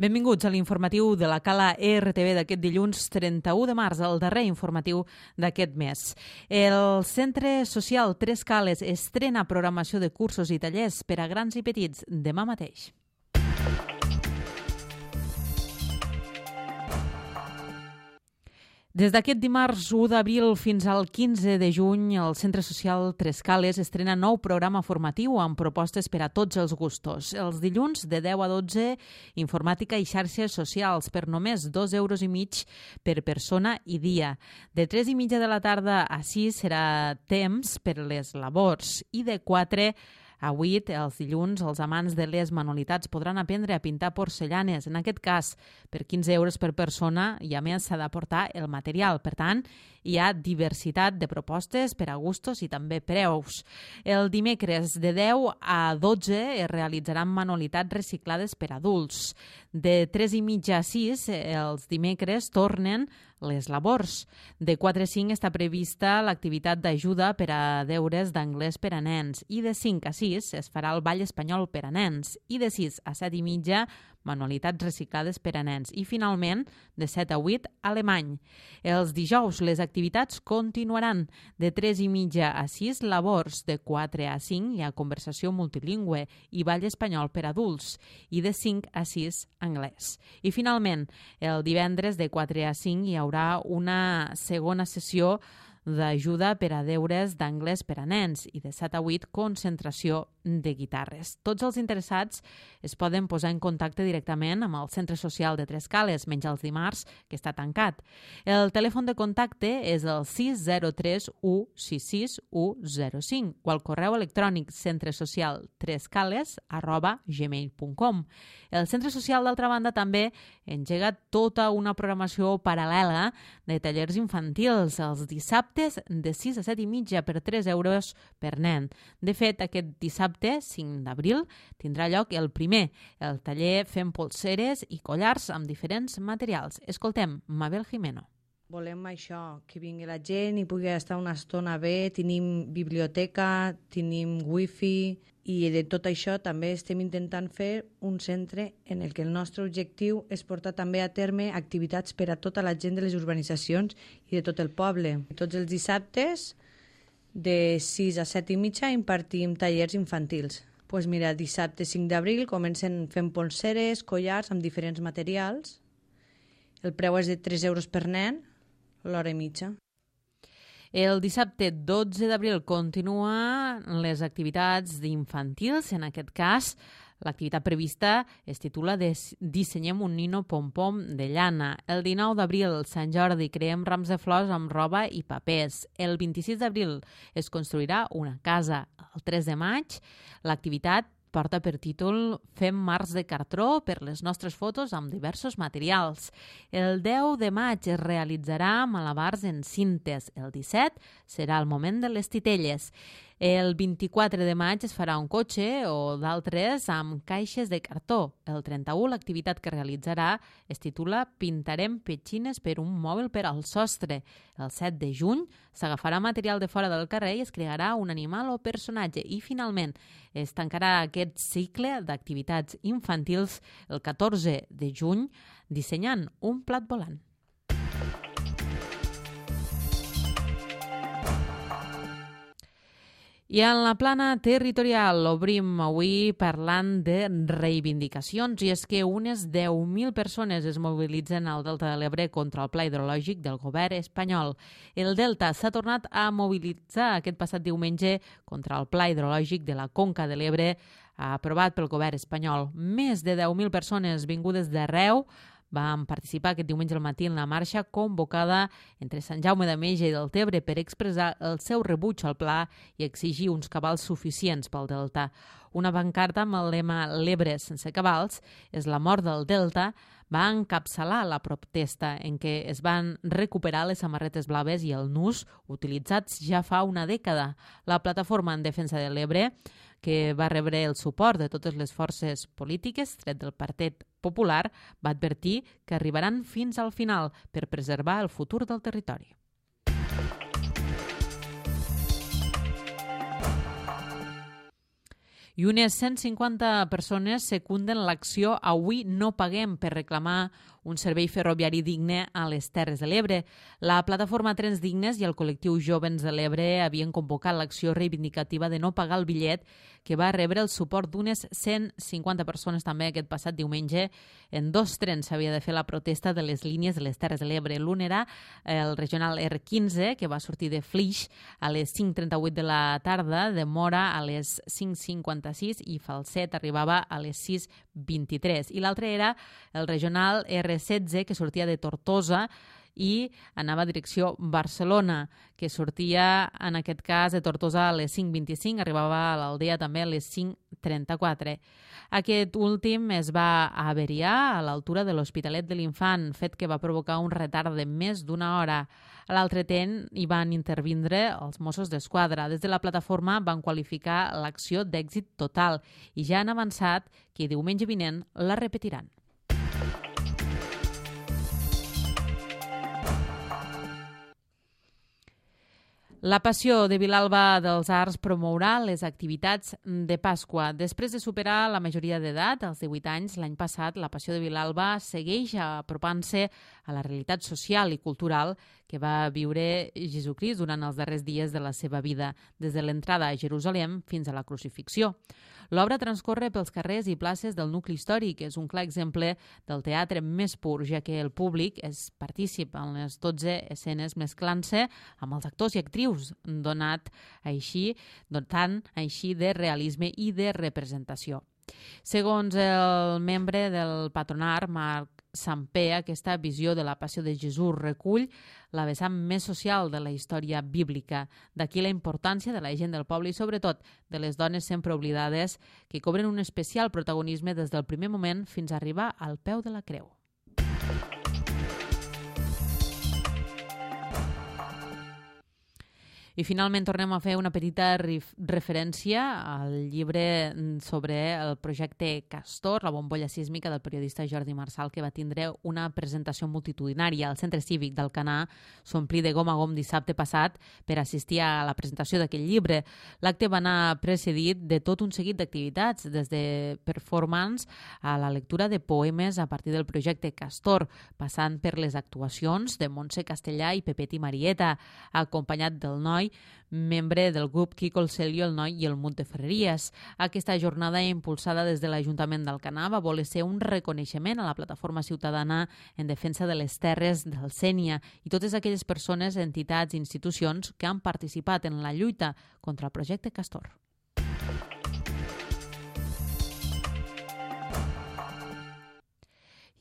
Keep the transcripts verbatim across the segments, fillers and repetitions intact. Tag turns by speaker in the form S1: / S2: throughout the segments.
S1: Benvinguts a l'informatiu de la Cala E R T V d'aquest dilluns trenta-u de març, el darrer informatiu d'aquest mes. El Centre Social Tres Cales estrena programació de cursos i tallers per a grans i petits demà mateix. Des d'aquest dimarts u d'abril fins al quinze de juny, el Centre Social Tres Cales estrena nou programa formatiu amb propostes per a tots els gustos. Els dilluns, de deu a dotze, informàtica i xarxes socials per només dos euros i mig per persona i dia. De tres i mitja de la tarda a sis serà temps per les labors i de quatre a vuit, els dilluns, els amants de les manualitats podran aprendre a pintar porcellanes, en aquest cas per quinze euros per persona, i a més s'ha d'aportar el material. Per tant, hi ha diversitat de propostes per a gustos i també preus. El dimecres de deu a dotze es realitzaran manualitats reciclades per adults. De tres i mitja a sis, els dimecres tornen les labors. De quatre a cinc està prevista l'activitat d'ajuda per a deures d'anglès per a nens i de cinc a sis es farà el ball espanyol per a nens i de sis a set i mitja manualitats reciclades per a nens i finalment de set a vuit alemany. Els dijous les activitats continuaran. De tres i mitja a sis labors, de quatre a cinc hi ha conversació multilingüe i ball espanyol per a adults i de cinc a sis anglès. I finalment, el divendres de quatre a cinc hi haurà una segona sessió d'ajuda per a deures d'anglès per a nens i de set a vuit concentració de guitarres. Tots els interessats es poden posar en contacte directament amb el Centre Social de Tres Cales, menys els dimarts, que està tancat. El telèfon de contacte és el sis zero tres u sis sis u zero cinc o el correu electrònic centresocialtrescales arroba gmail punt com. El Centre Social, d'altra banda, també engega tota una programació paral·lela de tallers infantils els dissabtes de sis a set i mitja per tres euros per nen. De fet, aquest dissabte, cinc d'abril, tindrà lloc el primer, el taller Fem polseres i collars amb diferents materials. Escoltem Mabel Jimeno.
S2: Volem això, que vingui la gent i pugui estar una estona bé, tenim biblioteca, tenim wifi i de tot això també estem intentant fer un centre en el que el nostre objectiu és portar també a terme activitats per a tota la gent de les urbanitzacions i de tot el poble. Tots els dissabtes de sis a set i mitja impartim tallers infantils. Pues mira, dissabte cinc d'abril comencen fent polseres, collars amb diferents materials. El preu és de tres euros per nen, l'hora i mitja.
S1: El dissabte dotze d'abril continuen les activitats d'infantils. En aquest cas, l'activitat prevista es titula Dissenyem un nino pom-pom de llana. El dinou d'abril, Sant Jordi, creem rams de flors amb roba i papers. El vint-i-sis d'abril es construirà una casa. El tres de maig, l'activitat porta per títol Fem marcs de cartró per les nostres fotos amb diversos materials. El deu de maig es realitzarà malabars en cintes. El disset serà el moment de les titelles. El vint-i-quatre de maig es farà un cotxe o d'altres amb caixes de cartó. El trenta-u l'activitat que realitzarà es titula Pintarem petxines per un mòbil per al sostre. El set de juny s'agafarà material de fora del carrer i es crearà un animal o personatge. I finalment es tancarà aquest cicle d'activitats infantils el catorze de juny dissenyant un plat volant. I en la plana territorial obrim avui parlant de reivindicacions i és que unes deu mil persones es mobilitzen al Delta de l'Ebre contra el pla hidrològic del govern espanyol. El Delta s'ha tornat a mobilitzar aquest passat diumenge contra el pla hidrològic de la Conca de l'Ebre aprovat pel govern espanyol. Més de deu mil persones vingudes d'arreu van participar aquest diumenge al matí en la marxa convocada entre Sant Jaume d'Enveja i Deltebre per expressar el seu rebuig al pla i exigir uns cabals suficients pel Delta. Una pancarta amb el lema «L'Ebre sense cabals és la mort del Delta» va encapçalar la protesta en què es van recuperar les samarretes blaves i el nus utilitzats ja fa una dècada. La plataforma en defensa de l'Ebre, que va rebre el suport de totes les forces polítiques, tret del Partit Popular, va advertir que arribaran fins al final per preservar el futur del territori. I unes cent cinquanta persones secunden l'acció Avui no paguem per reclamar un servei ferroviari digne a les Terres de l'Ebre. La plataforma Trens Dignes i el col·lectiu Jovens de l'Ebre havien convocat l'acció reivindicativa de no pagar el bitllet, que va rebre el suport d'unes cent cinquanta persones també aquest passat diumenge. En dos trens s'havia de fer la protesta de les línies de les Terres de l'Ebre. L'un era el regional R quinze, que va sortir de Flix a les cinc trenta-vuit de la tarda, de Mora a les cinc cinquanta-sis i Falset arribava a les sis vint-i-tres. I l'altre era el regional R setze, que sortia de Tortosa i anava a direcció Barcelona, que sortia en aquest cas de Tortosa a les cinc vint-i-cinc, arribava a l'Aldea també a les cinc trenta-quatre. Aquest últim es va averiar a l'altura de l'Hospitalet de l'Infant, fet que va provocar un retard de més d'una hora. A l'altre tren hi van intervindre els Mossos d'Esquadra. Des de la plataforma van qualificar l'acció d'èxit total i ja han avançat que diumenge vinent la repetiran. La Passió de Vilalba dels Arts promourà les activitats de Pasqua. Després de superar la majoria d'edat, als divuit anys, l'any passat, la Passió de Vilalba segueix apropant-se a la realitat social i cultural que va viure Jesucrist durant els darrers dies de la seva vida, des de l'entrada a Jerusalem fins a la crucifixió. L'obra transcorre pels carrers i places del nucli històric. És un clar exemple del teatre més pur, ja que el públic és partícip en les dotze escenes mesclant-se amb els actors i actrius, donat així, dotant així de realisme i de representació. Segons el membre del patronat, Marc Sampé, aquesta visió de la Passió de Jesús recull la vessant més social de la història bíblica. D'aquí la importància de la gent del poble i, sobretot, de les dones sempre oblidades, que cobren un especial protagonisme des del primer moment fins a arribar al peu de la creu. I finalment tornem a fer una petita referència al llibre sobre el projecte Castor, la bombolla sísmica del periodista Jordi Marsal, que va tindre una presentació multitudinària al Centre Cívic d'Alcanar. S'omplí de gom a gom dissabte passat per assistir a la presentació d'aquest llibre. L'acte va anar precedit de tot un seguit d'activitats, des de performance a la lectura de poemes a partir del projecte Castor, passant per les actuacions de Montse Castellà i Pepet i Marieta, acompanyat del noi, membre del grup Quico el Celio, el Noi i el Mut de Ferreries. Aquesta jornada impulsada des de l'Ajuntament d'Alcanar va voler ser un reconeixement a la plataforma ciutadana en defensa de les terres del Sénia i totes aquelles persones, entitats i institucions que han participat en la lluita contra el projecte Castor.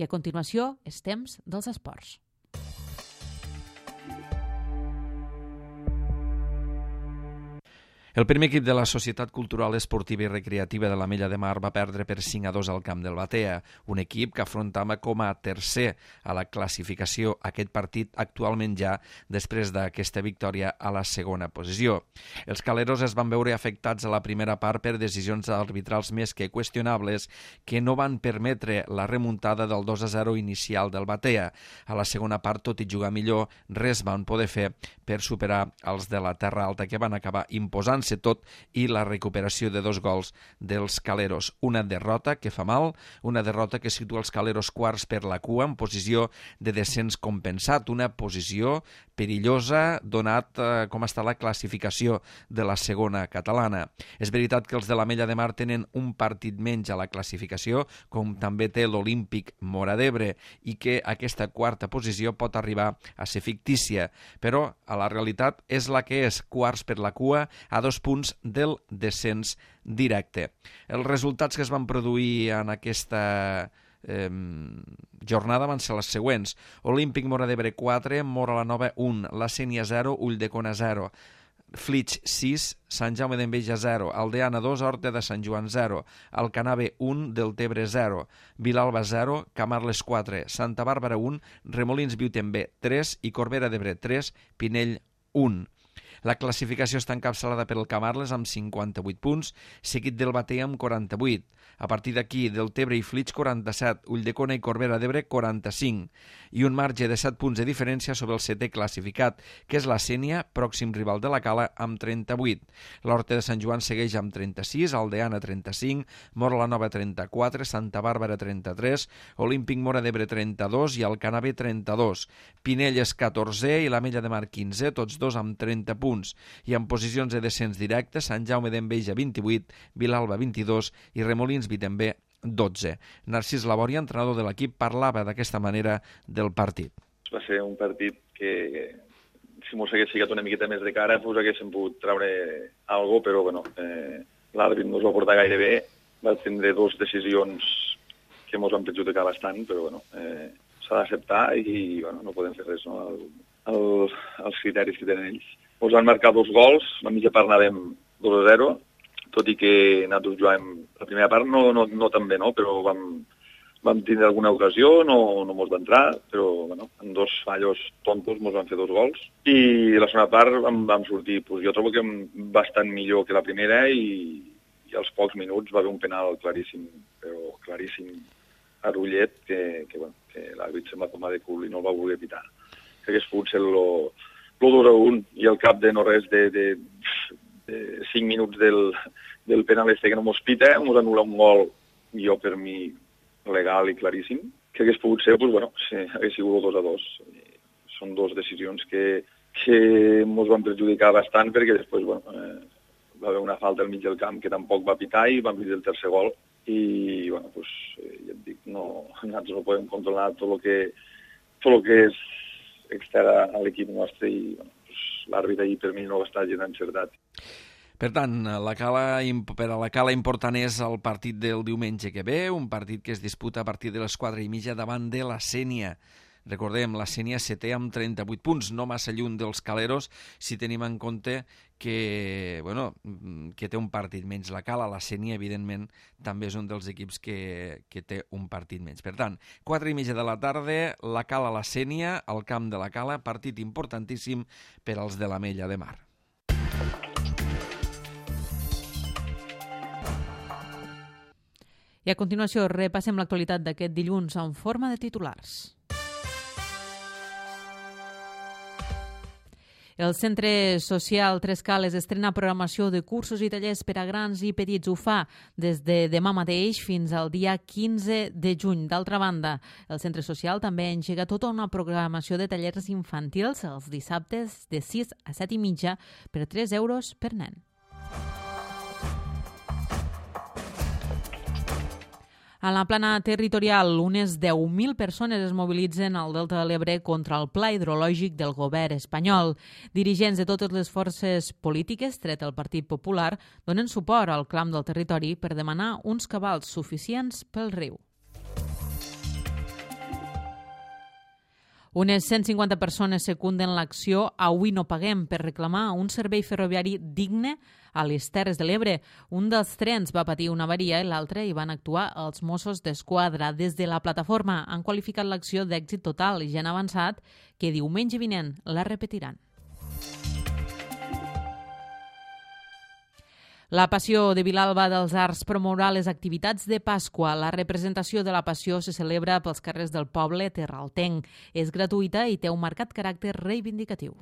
S1: I a continuació és temps dels esports.
S3: El primer equip de la Societat Cultural Esportiva i Recreativa de l'Ametlla de Mar va perdre per cinc a dos al camp del Batea, un equip que afrontava com a tercer a la classificació aquest partit actualment ja després d'aquesta victòria a la segona posició. Els caleros es van veure afectats a la primera part per decisions arbitrals més que qüestionables que no van permetre la remuntada del dos a zero inicial del Batea. A la segona part, tot i jugar millor, res van poder fer per superar els de la Terra Alta, que van acabar imposant tot i la recuperació de dos gols dels caleros. Una derrota que fa mal, una derrota que situa els caleros quarts per la cua en posició de descens compensat, una posició perillosa donat eh, com està la classificació de la segona catalana. És veritat que els de l'Ametlla de Mar tenen un partit menys a la classificació, com també té l'Olímpic Móra d'Ebre, i que aquesta quarta posició pot arribar a ser fictícia, però a la realitat és la que és, quarts per la cua a dos punts del descens directe. Els resultats que es van produir en aquesta eh, jornada van ser les següents. Olímpic Móra d'Ebre quatre, Móra la Nova un, la Sénia zero, Ulldecona zero, Flix sis, Sant Jaume d'Enveja zero, Aldeana dos, Horta de Sant Joan zero, Alcanar B un, Deltebre zero, Vilalba zero, Camarles quatre, Santa Bàrbara un, Remolins Viutem B tres i Corbera d'Ebre tres, Pinell un. La classificació està encapçalada per el Camarles amb cinquanta-vuit punts, seguit del Batea amb quaranta-vuit. A partir d'aquí, Deltebre i Flix, quaranta-set, Ulldecona i Corbera d'Ebre, quaranta-cinc, i un marge de set punts de diferència sobre el setè classificat, que és la Sénia, pròxim rival de la Cala, amb trenta-vuit. L'Horta de Sant Joan segueix amb trenta-sis, Aldeana trenta-cinc, Mora la Nova trenta-quatre, Santa Bàrbara trenta-tres, Olímpic Mora d'Ebre trenta-dos i Alcanar B trenta-dos. Pinell és catorzè i l'Ametlla de Mar quinzè, tots dos amb trenta punts. I en posicions de descens directe, Sant Jaume d'Enveja vint-i-vuit, Vilalba vint-i-dos i Remolins Vitembé dotze. Narcís Labòria, entrenador de l'equip, parlava d'aquesta manera del partit.
S4: Va ser un partit que, si mos hagués ficat una miqueta més de cara, pues haguéssim pogut treure alguna cosa, però bueno, eh, l'àrbit no es va portar gaire bé, va tindre dues decisions que mos van perjudicar bastant, però bueno, eh, s'ha d'acceptar i bueno, no podem fer res, no? El, el, els criteris que tenen ells. Ens van marcar dos gols, la mitja part anàvem dos a zero, tot i que nosaltres jugàvem la primera part no, no, no tan bé, no? Però vam, vam tindre alguna ocasió, no, no mos va entrar, però bueno, en dos fallos tontos mos van fer dos gols. I la segona part vam, vam sortir, pues, jo trobo que bastant millor que la primera i, i als pocs minuts va haver un penal claríssim, però claríssim a Rullet, que, que, bueno, que l'àrbit se'n va tomar de cul i no el va voler pitar. Que hagués pogut ser lo, lo dos a un i al cap de no res de, de, de cinc minuts del, del penal este que no mos pita, mos anul·la un gol, jo per mi legal i claríssim, que hagués pogut ser, pues, bueno, sí, hagués sigut dos a dos. Són dues decisions que, que mos van perjudicar bastant perquè després, bueno, eh, va haver una falta al mig del camp que tampoc va pitar i vam vist el tercer gol i, bueno, pues, eh, ja et dic, no, nosaltres no podem controlar tot el que, tot el que és extern a l'equip nostre i, bueno, pues, l'àrbit ahir per mi no va estar gens encertat.
S3: Per tant, la cala, per a la Cala important és el partit del diumenge que ve, un partit que es disputa a partir de les quatre i mitja davant de la Sénia. Recordem, la Sénia setè amb trenta-vuit punts, no massa lluny dels caleros, si tenim en compte que, bueno, que té un partit menys. La Cala, la Sénia, evidentment, també és un dels equips que, que té un partit menys. Per tant, quatre i mitja de la tarda, la Cala, la Sénia, al camp de la Cala, partit importantíssim per als de l'Ametlla de Mar.
S1: I a continuació repassem l'actualitat d'aquest dilluns en forma de titulars. El Centre Social Tres Cales estrena programació de cursos i tallers per a grans i petits. Ho fa des de demà mateix fins al dia quinze de juny. D'altra banda, el Centre Social també engega tota una programació de tallers infantils els dissabtes de sis a set i mitja per tres euros per nen. A la plana territorial, unes deu mil persones es mobilitzen al Delta de l'Ebre contra el pla hidrològic del govern espanyol. Dirigents de totes les forces polítiques, tret el Partit Popular, donen suport al clam del territori per demanar uns cabals suficients pel riu. Unes cent cinquanta persones secunden l'acció Avui no paguem per reclamar un servei ferroviari digne a les Terres de l'Ebre. Un dels trens va patir una avaria i l'altre hi van actuar els Mossos d'Esquadra. Des de la plataforma han qualificat l'acció d'èxit total i ja han avançat que diumenge vinent la repetiran. La Passió de Vilalba dels Arts promourà les activitats de Pasqua. La representació de la Passió se celebra pels carrers del poble terraltenc. És gratuïta i té un marcat caràcter reivindicatiu.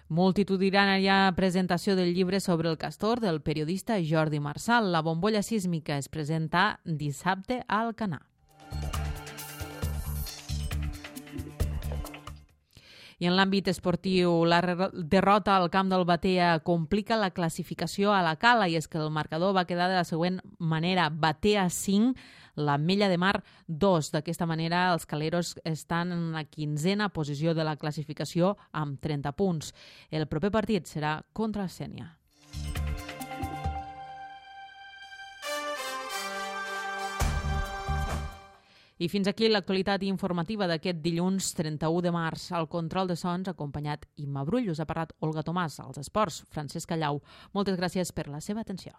S1: Multitudinària presentació del llibre sobre el castor del periodista Jordi Marsal. La bombolla sísmica es presenta dissabte a Alcanar. I en l'àmbit esportiu, la derrota al camp del Batea complica la classificació a la Cala i és que el marcador va quedar de la següent manera. Batea cinc, l'Ametlla de Mar dos. D'aquesta manera, els caleros estan en la quinzena posició de la classificació amb trenta punts. El proper partit serà contra el Sénia. I fins aquí l'actualitat informativa d'aquest dilluns trenta-u de març. Al control de sons, acompanyat Imma Brull, us ha parlat Olga Tomàs. Als esports, Francesc Callau. Moltes gràcies per la seva atenció.